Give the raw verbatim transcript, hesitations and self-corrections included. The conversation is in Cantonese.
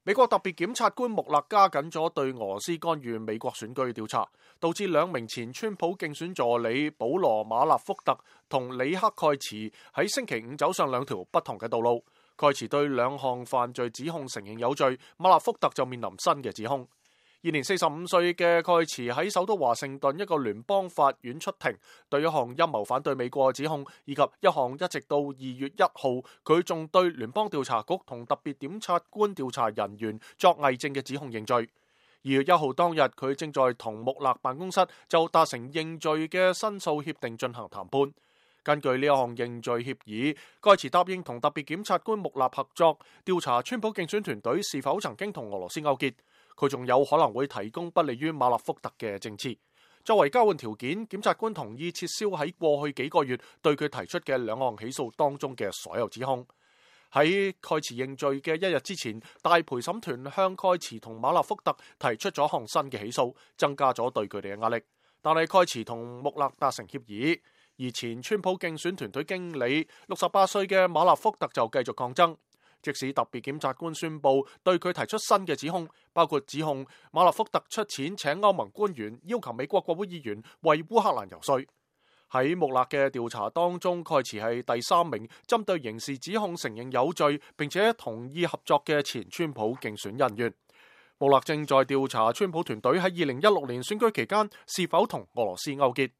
美國特別檢察官穆勒加緊咗對俄羅斯干預美國選舉嘅調查，導致兩名前川普競選助理保羅馬納福特同里克蓋茨喺星期五走上兩條不同嘅道路。蓋茨對兩項犯罪指控承認有罪，馬納福特就面臨新嘅指控。現年四十五歲嘅蓋茨喺首都華盛頓一個聯邦法院出庭，對一項陰謀反對美國嘅指控，以及一項一直到二月一號佢仲對聯邦調查局同特別檢察官調查人員作偽證嘅指控認罪。二月一號當日，佢正在同穆勒辦公室就達成認罪嘅申訴協定進行談判。根據呢一項認罪協議，蓋茨答應同特別檢察官穆勒合作，調查川普競選團隊是否曾經同俄羅斯勾結。佢仲有可能會提供不利於馬納福特嘅證詞。作為交換條件，檢察官同意撤銷喺過去幾個月對佢提出嘅兩項起訴當中嘅所有指控。喺蓋茨認罪嘅一日之前，大陪審團向蓋茨同馬納福特提出咗項新嘅起訴，增加咗對佢哋嘅壓力。但係蓋茨同穆勒達成協議，而前川普競選團隊經理六十八歲嘅馬納福特就繼續抗爭。即使特別檢察官宣布對佢提出新嘅指控，包括指控馬納福特出錢請歐盟官員要求美國國會議員為烏克蘭游說。喺穆勒嘅調查當中，蓋茨係第三名針對刑事指控承認有罪並且同意合作嘅前川普競選人員。穆勒正在調查川普團隊喺二零一六年選舉期間是否同俄羅斯勾結。